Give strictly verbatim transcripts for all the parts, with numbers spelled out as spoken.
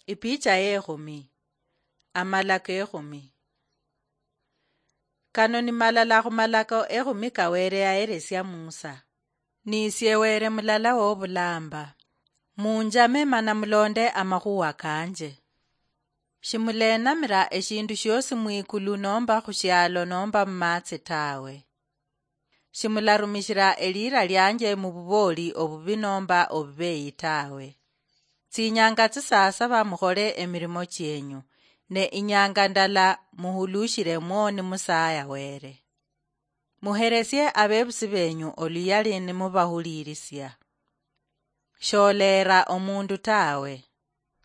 Ipicha yekhumi. Amalako ekhumi. Kano ni malala khumalako ekhumi ka Wele yaheresia Musa. Nisie Wele mulala wobulamba. Munjame mana mulonde amakhuwa kanje. Shimuleenamira eshindu shiosi mwikulu nomba khushialo nomba mumatsi tawe. Shimularumishira eliira lianje mububooli obubi nomba obubeeyi tawe. Tsinyanga tsisaasaba mukhole emirimo chienyu, ne inyanga ndala muhulushiremwo nimusaaya Wele. Muheresie abebusi benyu oluyali nimubahuliirisia. Sholeera omundu tawe.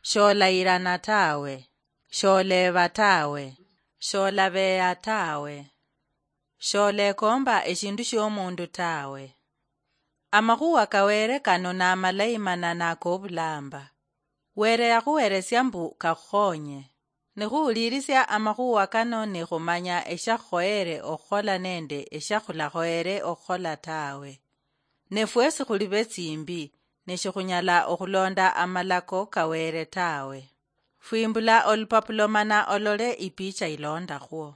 Sholayirana tawe. Sholeeba tawe. Sholabeeya tawe. Sholekoomba eshindu shiomundu tawe. Amakhuwa ka Wele kano namalayi mana nakobulamba. Wele yakhuheresia mbu kakhukhonye. Nikhuwulirisia amakhuwa kano nikhumanya eshakhukhoyere okhukhola nende eshakhulakhoyere okhukhola tawe. Ne fwesi khuli betsimbi, ne shikhunyala okhulonda amalako ka Wele tawe. Fwimbula olupapulo mana olole ipicha ilondakhwo.